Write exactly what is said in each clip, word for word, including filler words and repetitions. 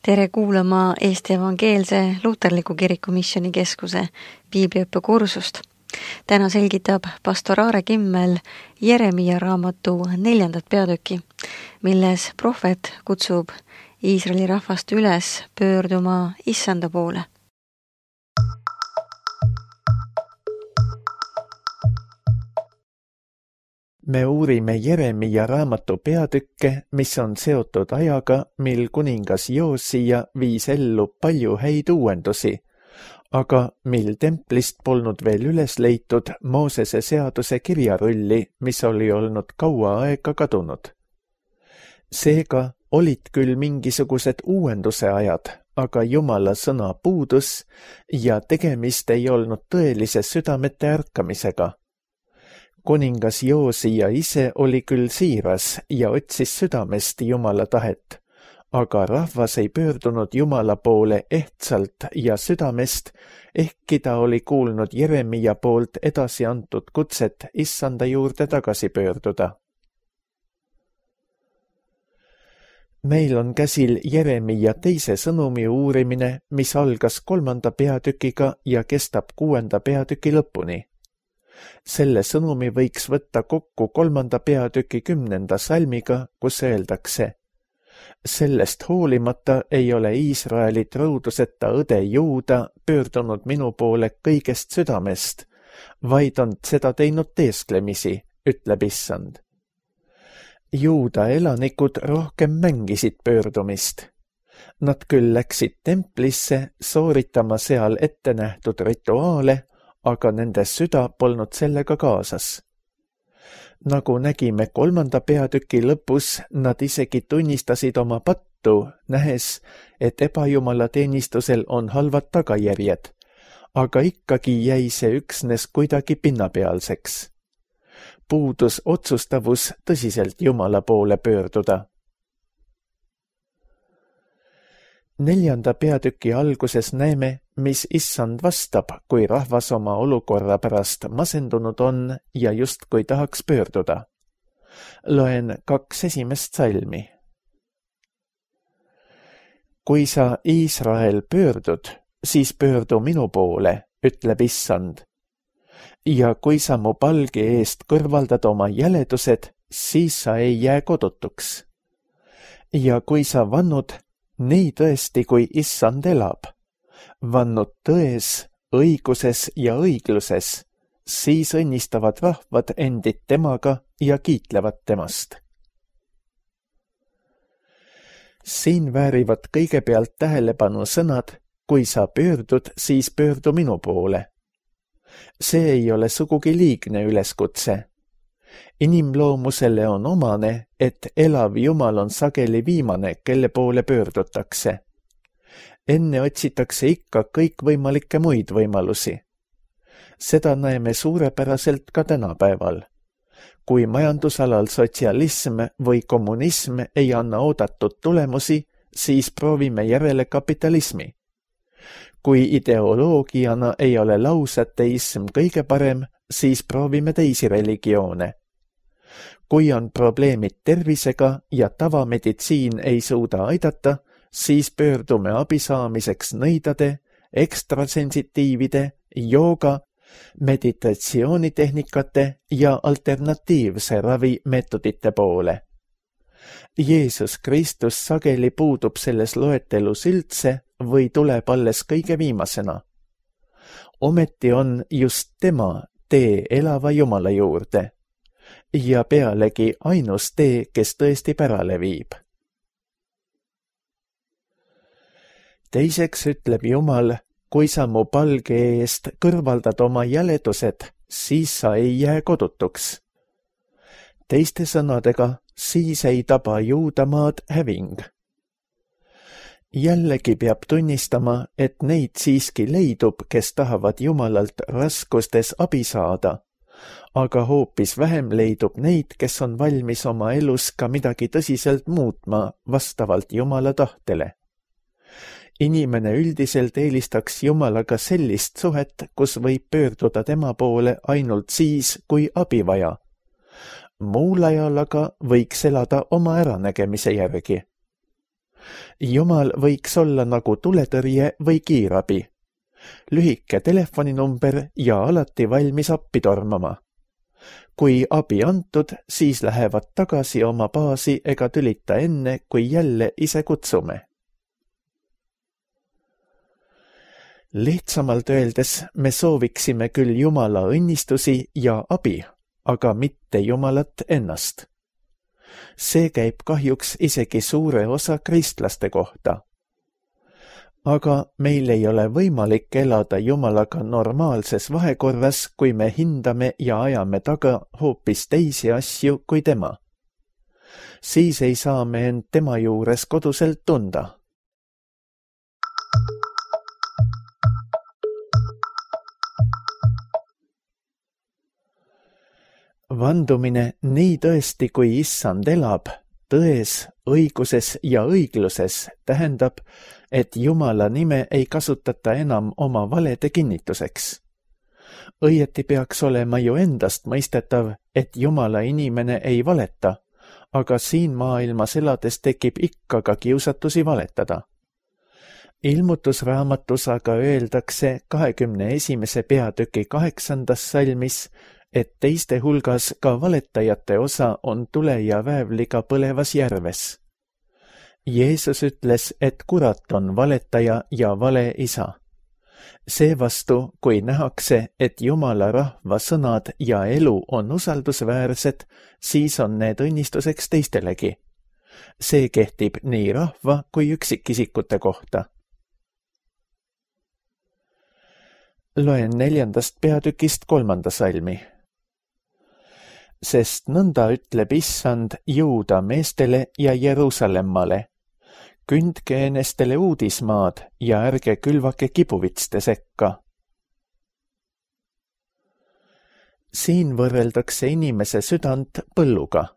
Tere kuulama Eesti Evangeelse Luterliku Kiriku Missioonikeskuse piibliõppekursust. Täna selgitab pastor Aare Kimmel Jeremia raamatu neljandat peatüki, milles prohvet kutsub Iisraeli rahvast üles pöörduma Issanda poole. Me uurime Jeremia raamatu peatükke, mis on seotud ajaga, mil kuningas Joosia viis ellu palju häid uuendusi, aga mil templist polnud veel üles leitud Moosese seaduse kirjarulli, mis oli olnud kaua aega kadunud. Seega olid küll mingisugused uuenduse ajad, aga Jumala sõna puudus ja tegemist ei olnud tõelise südamete ärkamisega. Kuningas Joosia ise oli küll siiras ja otsis südamest Jumala tahet, aga rahvas ei pöördunud Jumala poole ehtsalt ja südamest, ehkki ta oli kuulnud Jeremia poolt edasi antud kutset Issanda juurde tagasi pöörduda. Meil on käsil Jeremia teise sõnumi uurimine, mis algas kolmanda peatükiga ja kestab kuuenda peatüki lõpuni. Selle sõnumi võiks võtta kokku kolmanda peatüki kümnenda salmiga, kus öeldakse: Sellest hoolimata ei ole Iisraelit rõuduseta õde Juuda pöördunud minu poole kõigest südamest, vaid on seda teinud teesklemisi, ütleb Issand. Juuda elanikud rohkem mängisid pöördumist. Nad küll läksid templisse sooritama seal ette nähtud rituaale, aga nende süda polnud sellega kaasas. Nagu nägime kolmanda peatüki lõpus, nad isegi tunnistasid oma pattu, nähes, et ebajumala teenistusel on halvad tagajärjed, aga ikkagi jäi see üksnes kuidagi pinnapealseks. Puudus otsustavus tõsiselt Jumala poole pöörduda. Neljanda peatüki alguses näeme, mis Issand vastab, kui rahvas oma olukorra pärast masendunud on ja justkui tahaks pöörduda. Loen kaks esimest salmi. Kui sa, Iisrael, pöördud, siis pöördu minu poole, ütleb Issand. Ja kui sa mu palge eest kõrvaldad oma jäledused, siis sa ei jää kodutuks. Ja kui sa vannud, nii tõesti, kui Issand elab, vannud tões, õiguses ja õigluses, siis õnnistavad rahvad endid temaga ja kiitlevad temast. Siin väärivad kõigepealt tähelepanu sõnad, kui sa pöördud, siis pöördu minu poole. See ei ole sugugi liigne üleskutse. Inimloomusele on omane, et elav Jumal on sageli viimane, kelle poole pöördutakse. Enne otsitakse ikka kõikvõimalikke muid võimalusi. Seda näeme suurepäraselt ka tänapäeval. Kui majandusalal sotsialism või kommunism ei anna oodatud tulemusi, siis proovime järele kapitalismi. Kui ideoloogiana ei ole lausateism kõige parem, siis proovime teisi religioone. Kui on probleemid tervisega ja tavameditsiin ei suuda aidata, siis pöördume abi saamiseks nõidade, ekstrasensitiivide, jooga, meditatsioonitehnikate ja alternatiivse ravimeetodite poole. Jeesus Kristus sageli puudub selles loetelus üldse või tuleb alles kõige viimasena. Ometi on just tema tee elava Jumala juurde ja pealegi ainus tee, kes tõesti pärale viib. Teiseks ütleb Jumal, kui sa mu palge eest kõrvaldad oma jäledused, siis sa ei jää kodutuks. Teiste sõnadega, siis ei taba Juudamaad häving. Jällegi peab tunnistama, et neid siiski leidub, kes tahavad Jumalalt raskustes abi saada, aga hoopis vähem leidub neid, kes on valmis oma elus ka midagi tõsiselt muutma vastavalt Jumala tahtele. Inimene üldiselt eelistaks Jumalaga sellist suhet, kus võib pöörduda tema poole ainult siis, kui abi vaja. Muul ajal aga võiks elada oma äranägemise järgi. Jumal võiks olla nagu tuletõrje või kiirabi. Lühike telefoninumber ja alati valmis appi tormama. Kui abi antud, siis lähevad tagasi oma baasi ega tülita enne, kui jälle ise kutsume. Lihtsamalt öeldes me sooviksime küll Jumala õnnistusi ja abi, aga mitte Jumalat ennast. See käib kahjuks isegi suure osa kristlaste kohta. Aga meil ei ole võimalik elada Jumalaga normaalses vahekorras, kui me hindame ja ajame taga hoopis teisi asju kui tema. Siis ei saa me end tema juures koduselt tunda. Vandumine nii tõesti, kui issand elab, tões, õiguses ja õigluses tähendab, et Jumala nime ei kasutata enam oma valede kinnituseks. Õieti peaks olema ju endast mõistetav, et Jumala inimene ei valeta, aga siin maailmas elades tekib ikka ka kiusatusi valetada. Ilmutusraamatus aga öeldakse kahekümne esimese peatüki kaheksandas salmis, et teiste hulgas ka valetajate osa on tule ja väävliga põlevas järves. Jeesus ütles, et kurat on valetaja ja vale isa. Seevastu, kui nähakse, et Jumala rahva sõnad ja elu on usaldusväärsed, siis on need õnnistuseks teistelegi. See kehtib nii rahva kui üksikisikute kohta. Loen neljandast peatükist kolmanda salmi. Sest nõnda ütleb issand Juuda meestele ja Jeruusallemmale. Kündke enestele uudismaad ja ärge külvake kibuvitste sekka. Siin võrreldakse inimese südant põlluga.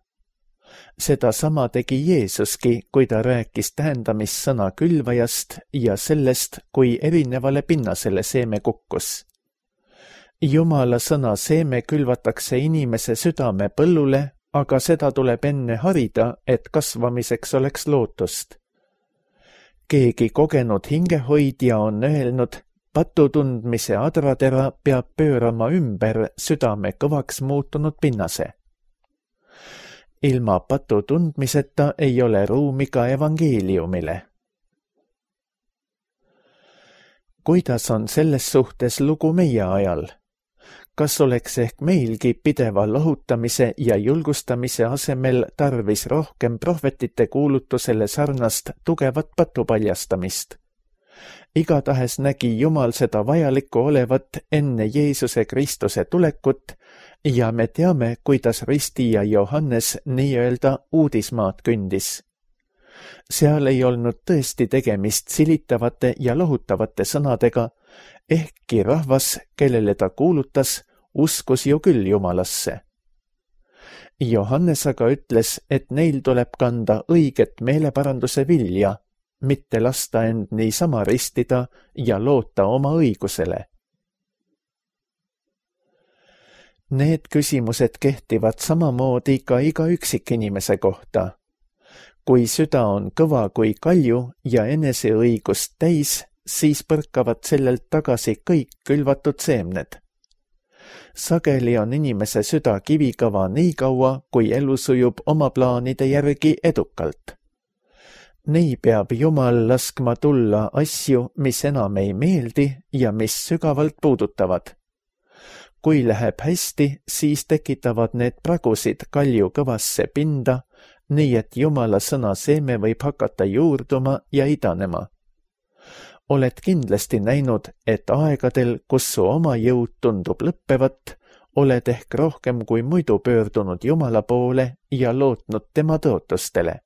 Seda sama tegi Jeesuski, kui ta rääkis tähendamissõna külvajast ja sellest, kui erinevale pinnasele seeme kukkus. Jumala sõna seeme külvatakse inimese südame põllule, aga seda tuleb enne harida, et kasvamiseks oleks lootust. Keegi kogenud hingehoidja on öelnud, patutundmise adratera peab pöörama ümber südame kõvaks muutunud pinnase. Ilma patutundmiseta ei ole ruumi ka evangeeliumile. Kuidas on selles suhtes lugu meie ajal? Kas oleks ehk meilgi pideva lohutamise ja julgustamise asemel tarvis rohkem prohvetite kuulutusele sarnast tugevat patupaljastamist? Igatahes nägi Jumal seda vajalikku olevat enne Jeesuse Kristuse tulekut ja me teame, kuidas ristija Johannes nii-öelda uudismaad kündis. Seal ei olnud tõesti tegemist silitavate ja lohutavate sõnadega, ehkki rahvas, kellele ta kuulutas, uskus ju küll Jumalasse. Johannes aga ütles, et neil tuleb kanda õiget meeleparanduse vilja, mitte lasta end niisama ristida ja loota oma õigusele. Need küsimused kehtivad samamoodi ka iga üksikinimese kohta. Kui süda on kõva kui kalju ja eneseõigust täis, siis põrkavad sellelt tagasi kõik külvatud seemned. Sageli on inimese süda kivikõva nii kaua, kui elu sujub oma plaanide järgi edukalt. Nii peab Jumal laskma tulla asju, mis enam ei meeldi ja mis sügavalt puudutavad. Kui läheb hästi, siis tekitavad need pragusid kalju kõvasse pinda, nii et Jumala sõna seeme võib hakata juurduma ja idanema. Oled kindlasti näinud, et aegadel, kus su oma jõud tundub lõppevat, oled ehk rohkem kui muidu pöördunud Jumala poole ja lootnud tema tõotustele.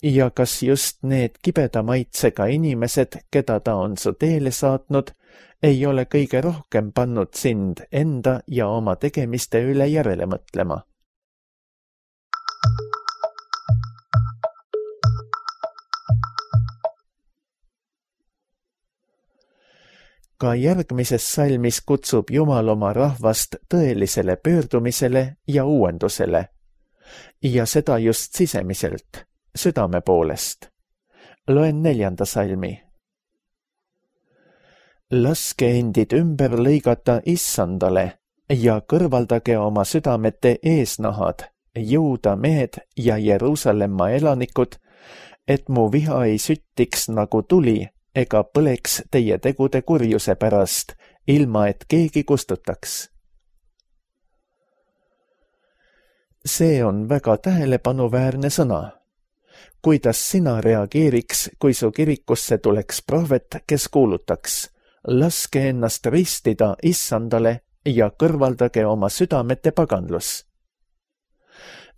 Ja kas just need kibeda maitsega inimesed, keda ta on su teele saatnud, ei ole kõige rohkem pannud sind enda ja oma tegemiste üle järele mõtlema? Ka järgmises salmis kutsub Jumal oma rahvast tõelisele pöördumisele ja uuendusele. Ja seda just sisemiselt, südame poolest. loen neljanda salmi. Laske endid ümber lõigata issandale ja kõrvaldage oma südamete eesnahad, Juuda mehed ja Jeruusalemma elanikud, et mu viha ei süttiks nagu tuli ega põleks teie tegude kurjuse pärast, ilma et keegi kustutaks. See on väga tähelepanuväärne sõna. Kuidas sina reageeriks, kui su kirikusse tuleks prohvet, kes kuulutaks: laske ennast ristida issandale ja kõrvaldage oma südamete paganlus.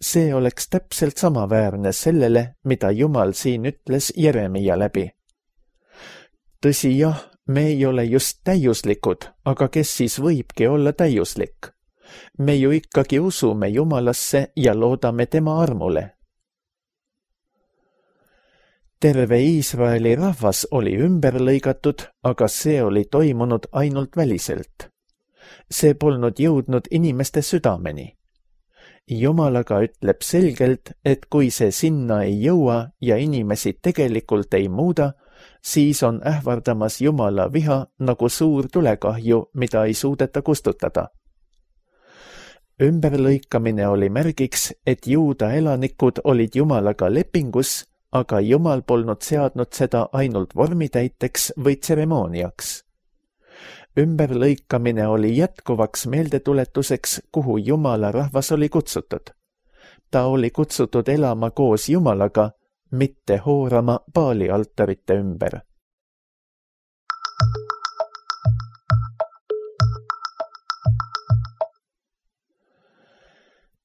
See oleks täpselt samaväärne sellele, mida Jumal siin ütles Jeremia läbi. Tõsi jah, me ei ole just täiuslikud, aga kes siis võibki olla täiuslik? Me ju ikkagi usume Jumalasse ja loodame tema armule. Terve Iisraeli rahvas oli ümber lõigatud, aga see oli toimunud ainult väliselt. See polnud jõudnud inimeste südameni. Jumal aga ütleb selgelt, et kui see sinna ei jõua ja inimesi tegelikult ei muuda, siis on ähvardamas Jumala viha nagu suur tulekahju, mida ei suudeta kustutada. Ümberlõikamine oli märgiks, et Juuda elanikud olid Jumalaga lepingus, aga Jumal polnud seadnud seda ainult vormitäiteks või tseremooniaks. Ümberlõikamine oli jätkuvaks meeldetuletuseks, kuhu Jumala rahvas oli kutsutud. Ta oli kutsutud elama koos Jumalaga, mitte hoorama Baali altarite ümber.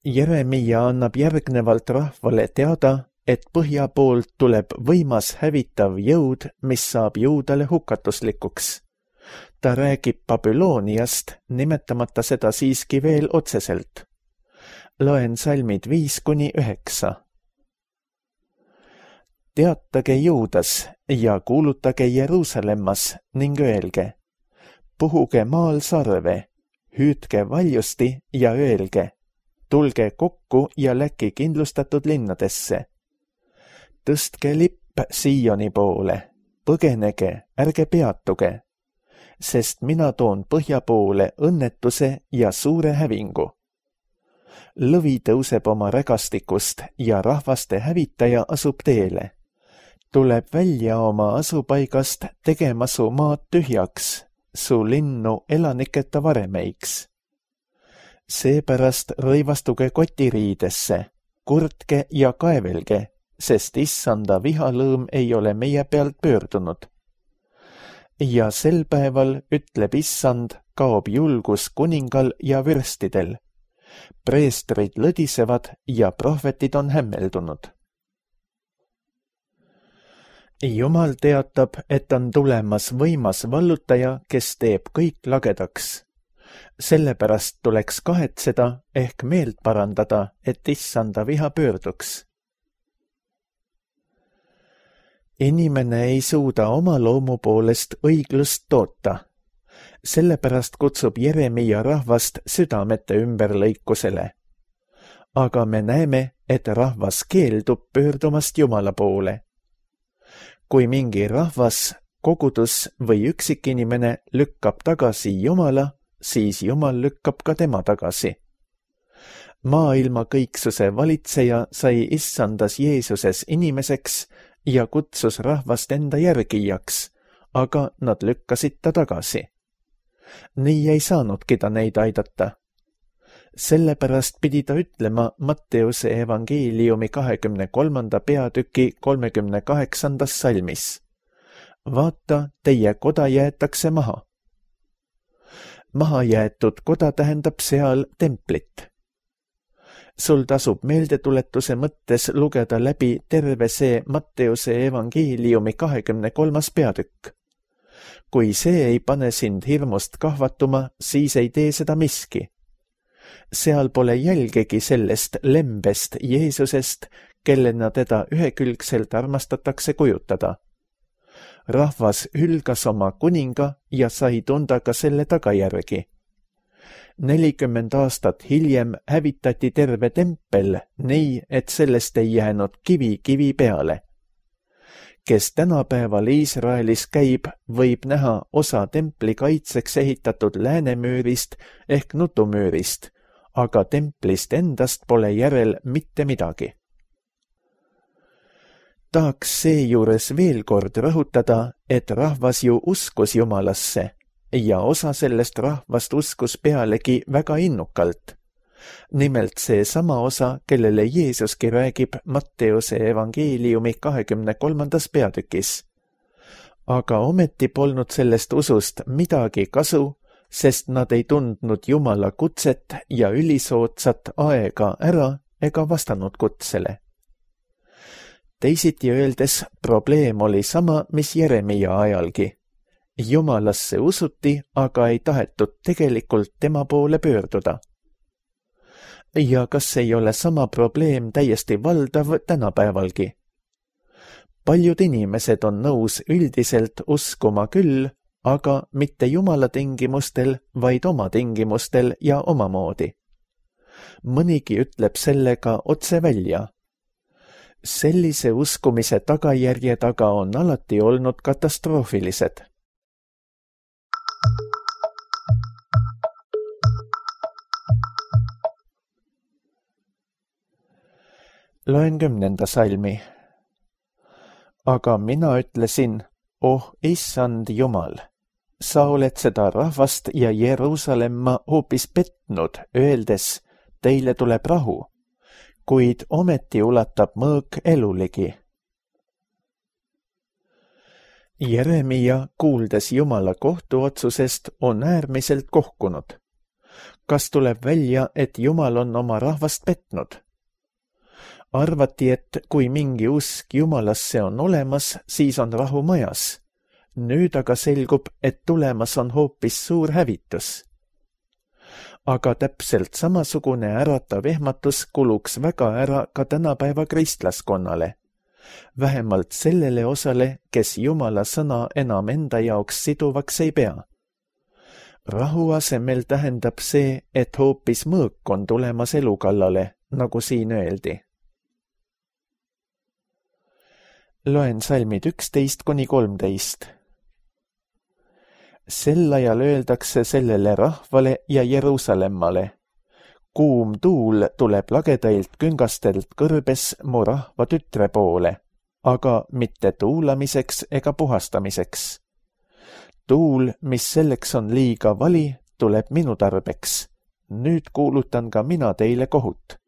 Jeremia annab järgnevalt rahvale teada, et põhja poolt tuleb võimas hävitav jõud, mis saab Juudale hukatuslikuks. Ta räägib Babyloniast, nimetamata seda siiski veel otseselt. Loen salmid viis kuni üheksa. Teatage Juudas ja kuulutage Jeruusalemmas ning öelge: puhuge maal sarve, hüüdke valjusti ja öelge: tulge kokku ja läki kindlustatud linnadesse. Tõstke lipp Sioni poole, põgenege, ärge peatuge, sest mina toon põhja poole õnnetuse ja suure hävingu. Lõvi tõuseb oma rägastikust ja rahvaste hävitaja asub teele. Tuleb välja oma asupaigast tegema su maad tühjaks, su linnu elaniketa varemeiks. Seepärast rõivastuge kotiriidesse, kurtke ja kaevelge, sest issanda vihalõõm ei ole meie pealt pöördunud. Ja sel päeval, ütleb issand, kaob julgus kuningal ja vürstidel. Preestrid lõdisevad ja prohvetid on hämmeldunud. Jumal teatab, et on tulemas võimas vallutaja, kes teeb kõik lagedaks. Sellepärast tuleks kahetseda ehk meelt parandada, et issanda viha pöörduks. Inimene ei suuda oma loomu poolest õiglust toota. Sellepärast kutsub Jeremia rahvast südamete ümberlõikusele. Aga me näeme, et rahvas keeldub pöördumast Jumala poole. Kui mingi rahvas, kogudus või üksikinimene lükkab tagasi Jumala, siis Jumal lükkab ka tema tagasi. Maailma kõiksuse valitseja sai issandas Jeesuses inimeseks ja kutsus rahvast enda järgijaks, aga nad lükkasid ta tagasi. Nii ei saanudki ta neid aidata. Sellepärast pidi ta ütlema Matteuse evangeeliumi kahekümne kolmanda peatüki kolmekümne kaheksandas salmis: vaata, teie koda jäetakse maha. Mahajäetud koda tähendab seal templit. Sul tasub meeldetuletuse mõttes lugeda läbi terve see Matteuse evangeeliumi kahekümne kolmas peatükk. Kui see ei pane sind hirmust kahvatuma, siis ei tee seda miski. Seal pole jälgegi sellest lembest Jeesusest, kellena teda ühekülgselt armastatakse kujutada. Rahvas hülgas oma kuninga ja sai tunda ka selle tagajärgi. nelikümmend aastat hiljem hävitati terve tempel nii, et sellest ei jäänud kivi kivi peale. kes tänapäeval Iisraelis käib, võib näha osa templi kaitseks ehitatud läänemüürist ehk nutumüürist, aga templist endast pole järel mitte midagi. Tahaks seejuures veel kord rõhutada, et rahvas ju uskus Jumalasse ja osa sellest rahvast uskus pealegi väga innukalt. Nimelt see sama osa, kellele Jeesuski räägib Matteuse evangeeliumi kahekümne kolmandas peatükis. Aga ometi polnud sellest usust midagi kasu, sest nad ei tundnud Jumala kutset ja ülisootsat aega ära ega vastanud kutsele. Teisiti öeldes probleem oli sama, mis Jeremia ajalgi. Jumalasse usuti, aga ei tahetud tegelikult tema poole pöörduda. Ja kas ei ole sama probleem täiesti valdav tänapäevalgi? Paljud inimesed on nõus üldiselt uskuma küll, aga mitte Jumala tingimustel, vaid oma tingimustel ja omamoodi. Mõnigi ütleb sellega otse välja. Sellise uskumise tagajärje taga on alati olnud katastroofilised. Loen kümnenda salmi. Aga mina ütlesin, oh issand Jumal, sa oled seda rahvast ja Jeruusalemma hoopis petnud, öeldes, teile tuleb rahu, kuid ometi ulatab mõõk eluligi. Jeremia, kuuldes Jumala kohtuotsusest, on äärmiselt kohkunud. Kas tuleb välja, et Jumal on oma rahvast petnud? Arvati, et kui mingi usk Jumalasse on olemas, siis on rahu majas. Nüüd aga selgub, et tulemas on hoopis suur hävitus. Aga täpselt samasugune äratav ehmatus kuluks väga ära ka tänapäeva kristlaskonnale. Vähemalt sellele osale, kes Jumala sõna enam enda jaoks siduvaks ei pea. Rahu asemel tähendab see, et hoopis mõõk on tulemas elukallale, nagu siin öeldi. Loen salmid üksteist kuni kolmteist. Sel ajal öeldakse sellele rahvale ja Jeruusalemmale. Kuum tuul tuleb lagedailt küngastelt kõrbes mu rahva tütre poole, aga mitte tuulamiseks ega puhastamiseks. Tuul, mis selleks on liiga vali, tuleb minu tarbeks. Nüüd kuulutan ka mina teile kohut.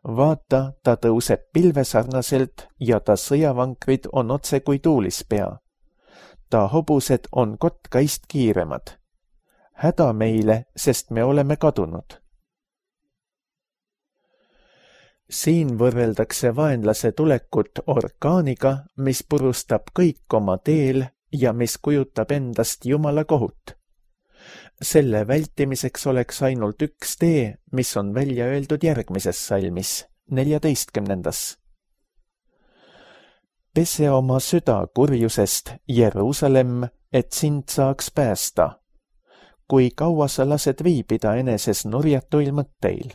Vaata, ta tõuseb pilvesarnaselt ja ta sõjavankrid on otse kui tuulispea. Ta hobused on kotkaist kiiremad. Häda meile, sest me oleme kadunud. Siin võrreldakse vaenlase tulekut orkaaniga, mis purustab kõik oma teel ja mis kujutab endast Jumala kohut. Selle vältimiseks oleks ainult üks tee, mis on välja öeldud järgmises salmis, neljateistkümnendas. Pese oma süda kurjusest, Jeruusalemm, et sind saaks päästa. Kui kaua sa lased viibida eneses nurjatuil mõtteil?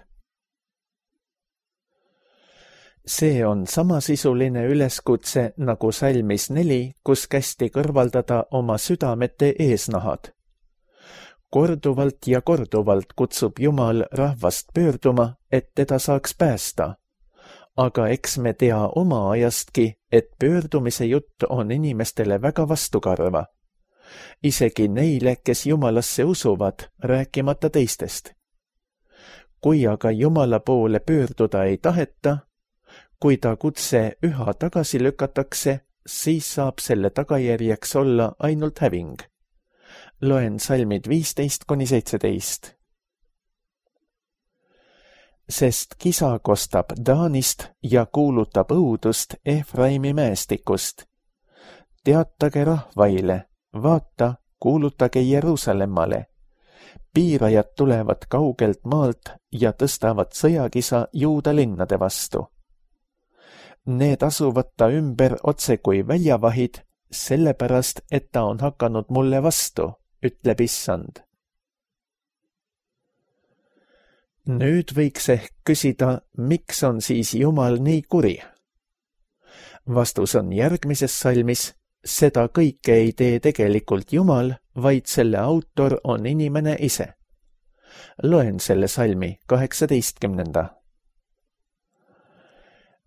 See on samasisuline üleskutse nagu salmis neli, kus kästi kõrvaldada oma südamete eesnahad. Korduvalt ja korduvalt kutsub Jumal rahvast pöörduma, et teda saaks päästa. Aga eks me tea oma ajastki, et pöördumise jutt on inimestele väga vastukarva. Isegi neile, kes Jumalasse usuvad, rääkimata teistest. Kui aga Jumala poole pöörduda ei taheta, kui ta kutse üha tagasi lükatakse, siis saab selle tagajärjeks olla ainult häving. Loen salmid viisteist kuni seitseteist. Sest kisa kostab Daanist ja kuulutab õudust Efraimi mäestikust. Teatage rahvaile, vaata, kuulutage Jeruusalemmale. Piirajad tulevad kaugelt maalt ja tõstavad sõjakisa Juuda linnade vastu. Need asuvad ta ümber otse kui väljavahid, sellepärast, et ta on hakanud mulle vastu, ütleb issand. Nüüd võiks ehk küsida, miks on siis Jumal nii kuri? Vastus on järgmises salmis: seda kõike ei tee tegelikult Jumal, vaid selle autor on inimene ise. Loen selle salmi kaheksateistkümnenda.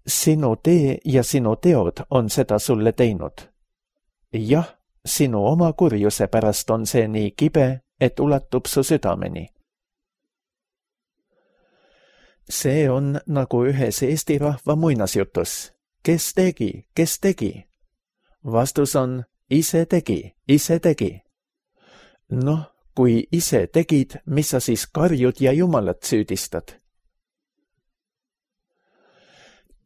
Sinu tee ja sinu teod on seda sulle teinud. Jah, sinu oma kurjuse pärast on see nii kibe, et ulatub su südameni. See on nagu ühes eesti rahva muinasjutus. Kes tegi, kes tegi? Vastus on: ise tegi, ise tegi. Noh, kui ise tegid, mis sa siis karjud ja Jumalat süüdistad?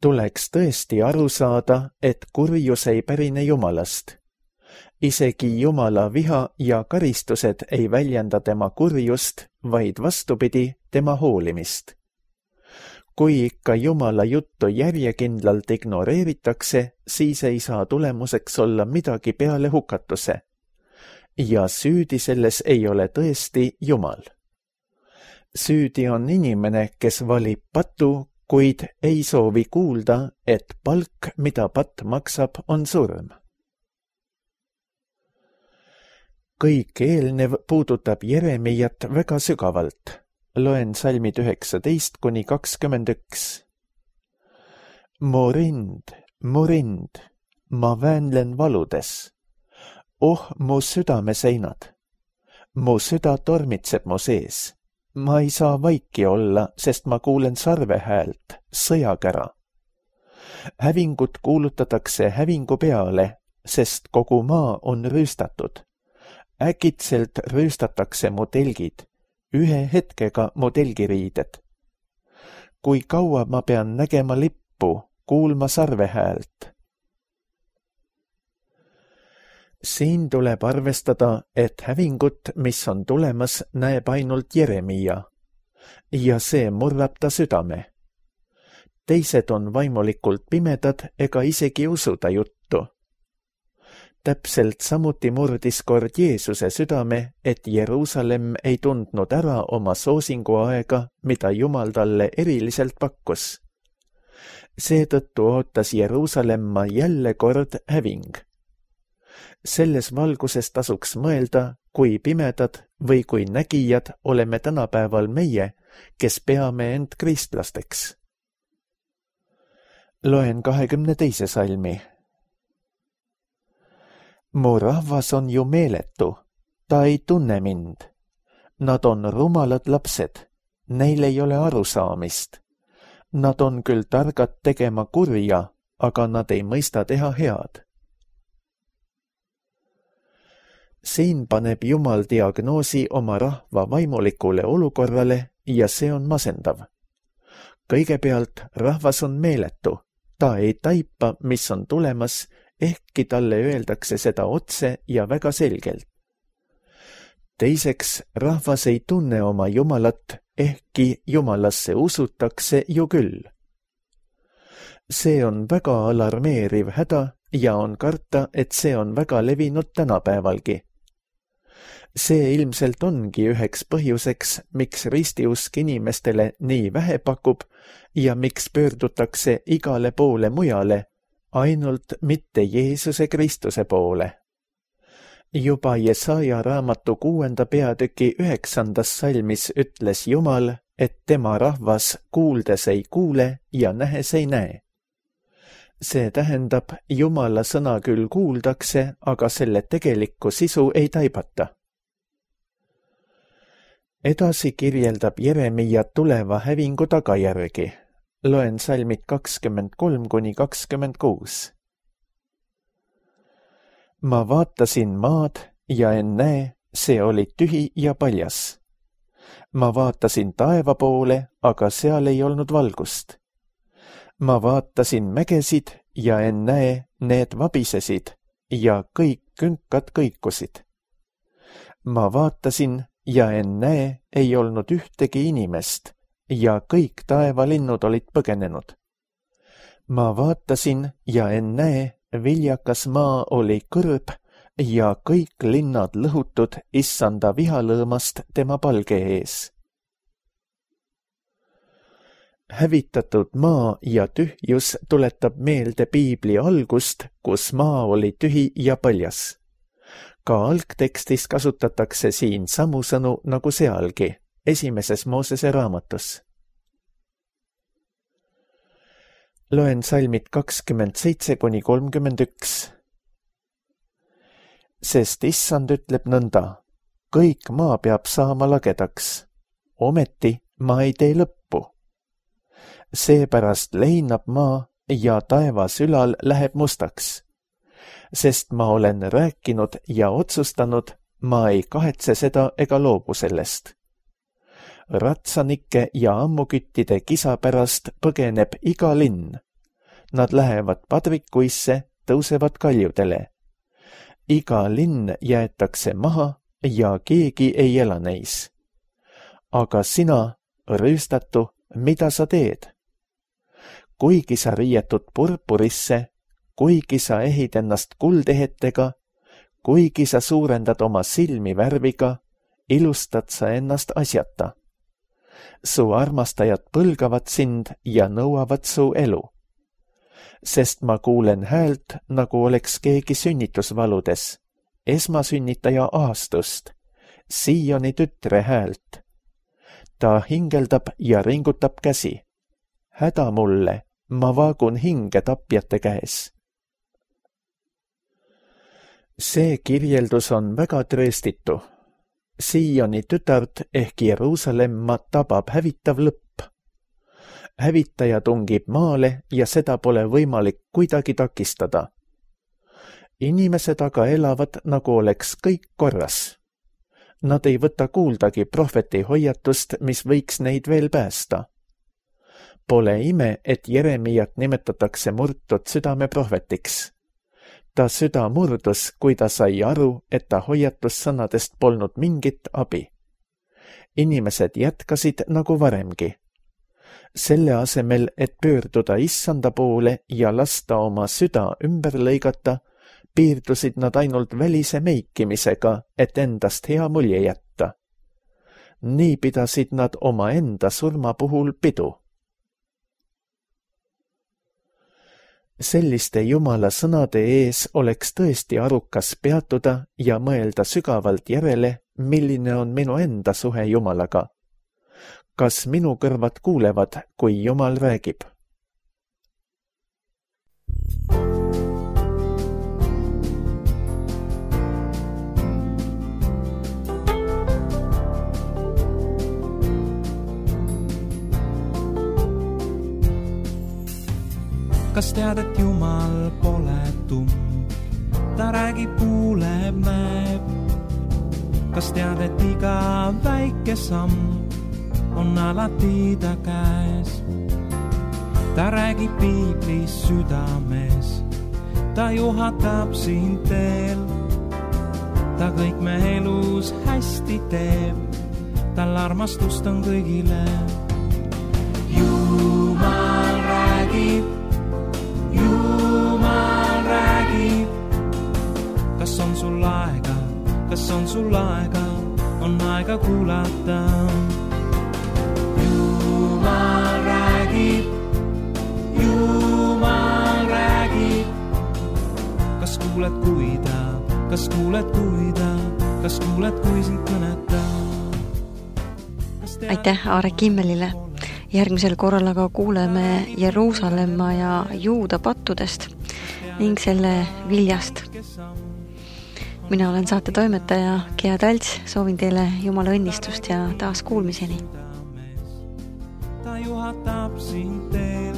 Tuleks tõesti aru saada, et kurjus ei pärine Jumalast. Isegi Jumala viha ja karistused ei väljenda tema kurjust, vaid vastupidi, tema hoolimist. Kui ikka Jumala juttu järjekindlalt ignoreeritakse, siis ei saa tulemuseks olla midagi peale hukatuse. Ja süüdi selles ei ole tõesti Jumal. Süüdi on inimene, kes valib patu, kuid ei soovi kuulda, et palk, mida patt maksab, on surm. Kõik eelnev puudutab Jeremiat väga sügavalt. Loen salmid üheksateist kuni kakskümmend üks. Mu rind, mu rind, ma väänlen valudes. Oh, mu südameseinad. Mu süda tormitseb mu sees. Ma ei saa vaiki olla, sest ma kuulen sarve häält, sõjakära. Hävingut kuulutatakse hävingu peale, sest kogu maa on rüüstatud. Äkitselt rüüstatakse mu telgid, ühe hetkega mu telgiriided. Kui kaua ma pean nägema lippu, kuulma sarve häält? Siin tuleb arvestada, et hävingut, mis on tulemas, näeb ainult Jeremia. Ja see murrab ta südame. Teised on vaimulikult pimedad ega isegi usuda juttu. Täpselt samuti murdis kord Jeesuse südame, et Jeruusalemm ei tundnud ära oma soosinguaega, mida Jumal talle eriliselt pakkus. Seetõttu ootas Jeruusalemma jälle kord häving. Selles valguses tasuks mõelda, kui pimedad või kui nägijad oleme tänapäeval meie, kes peame end kristlasteks. Loen kahekümne teise salmi. Mu rahvas on ju meeletu, ta ei tunne mind. Nad on rumalad lapsed, neil ei ole arusaamist. Nad on küll targad tegema kurja, aga nad ei mõista teha head. Siin paneb Jumal diagnoosi oma rahva vaimulikule olukorrale ja see on masendav. Kõigepealt rahvas on meeletu, ta ei taipa, mis on tulemas, ehkki talle öeldakse seda otse ja väga selgelt. Teiseks, rahvas ei tunne oma Jumalat, ehkki Jumalasse usutakse ju küll. See on väga alarmeeriv häda ja on karta, et see on väga levinud tänapäevalgi. See ilmselt ongi üheks põhjuseks, miks ristiusk inimestele nii vähe pakub ja miks pöördutakse igale poole mujale, ainult mitte Jeesuse Kristuse poole. Juba Jesaja raamatu kuuenda peatüki üheksandas salmis ütles Jumal, et tema rahvas kuuldes ei kuule ja nähes ei näe. See tähendab, Jumala sõna küll kuuldakse, aga selle tegelikku sisu ei taibata. Edasi kirjeldab Jeremia tuleva hävingu tagajärgi. Loen salmid kakskümmend kolm kuni kakskümmend kuus. Ma vaatasin maad ja ennäe, see oli tühi ja paljas. Ma vaatasin taeva poole, aga seal ei olnud valgust. Ma vaatasin mägesid ja ennäe, need vabisesid ja kõik künkad kõikusid. Ma vaatasin ja ennäe, ei olnud ühtegi inimest ja kõik taevalinnud olid põgenenud. Ma vaatasin ja ennäe, viljakas maa oli kõrb ja kõik linnad lõhutud issanda vihalõõmast tema palge ees. hävitatud maa ja tühjus tuletab meelde piibli algust, kus maa oli tühi ja paljas. Ka algtekstis kasutatakse siin samu sõnu nagu sealgi, esimeses Moosese raamatus. Loen salmid kakskümmend seitse kuni kolmkümmend üks. Sest issand ütleb nõnda, kõik maa peab saama lagedaks, ometi ma ei tee lõppu. Seepärast leinab maa ja taevas ülal läheb mustaks, sest ma olen rääkinud ja otsustanud, ma ei kahetse seda ega loobu sellest. Ratsanike ja ammuküttide kisa pärast põgeneb iga linn. Nad lähevad padvikuisse, tõusevad kaljudele. Iga linn jäetakse maha ja keegi ei ela neis. Aga sina, rüüstatu, mida sa teed? Kuigi sa riietud purpurisse, kuigi sa ehid ennast kuldehetega, kuigi sa suurendad oma silmi värviga, ilustad sa ennast asjata. Su armastajad põlgavad sind ja nõuavad su elu. Sest ma kuulen häält, nagu oleks keegi sünnitusvaludes, esmasünnitaja aastust, Sioni tütre häält. Ta hingeldab ja ringutab käsi. Häda mulle, ma vaagun hinge tapjate käes. See kirjeldus on väga trööstitu. Sioni tütart ehk Jeruusalemma tabab hävitav lõpp. Hävitaja tungib maale ja seda pole võimalik kuidagi takistada. Inimesed aga elavad, nagu oleks kõik korras. Nad ei võta kuuldagi prohveti hoiatust, mis võiks neid veel päästa. Pole ime, et Jeremiat nimetatakse murtud südame prohvetiks. Ta süda murdus, kui ta sai aru, et ta hoiatussõnadest polnud mingit abi. Inimesed jätkasid nagu varemgi. Selle asemel, et pöörduda issanda poole ja lasta oma süda ümber lõigata, piirdusid nad ainult välise meikimisega, et endast hea mulje jätta. Nii pidasid nad oma enda surma puhul pidu. Selliste Jumala sõnade ees oleks tõesti arukas peatuda ja mõelda sügavalt järele, milline on minu enda suhe Jumalaga. Kas minu kõrvad kuulevad, kui Jumal räägib? Kas tead, et Jumal pole tumm? Ta räägib, kuuleb, näeb. Kas tead, et iga väike samm on alati ta käes? Ta räägib piiblis südames, ta juhatab sind teel. Ta kõik me elus hästi teeb, tal armastust on kõigile. Jumal räägib, Jumal räägib. Kas on sul aega, kas on sul aega, on aega kuulata. Jumal räägib, Jumal räägib. Kas kuuled, kui ta, kas kuuled, kui ta, kas kuuled, kui sind kõneta? Aitäh Aare Kimmelile. Järgmisel korral aga kuuleme Jeruusalemma ja Juuda pattudest ning selle viljast. Mina olen saate toimetaja Gea Talts, soovin teile Jumala õnnistust ja taas kuulmiseni. Ta juhatab sind teel,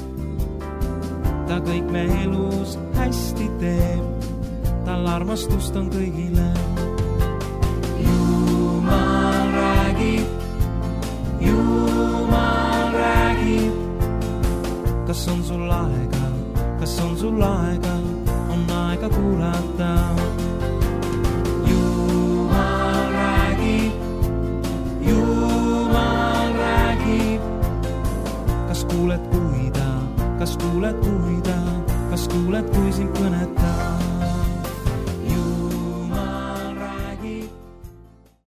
ta kõik me elus hästi teeb, tal armastust on kõigile.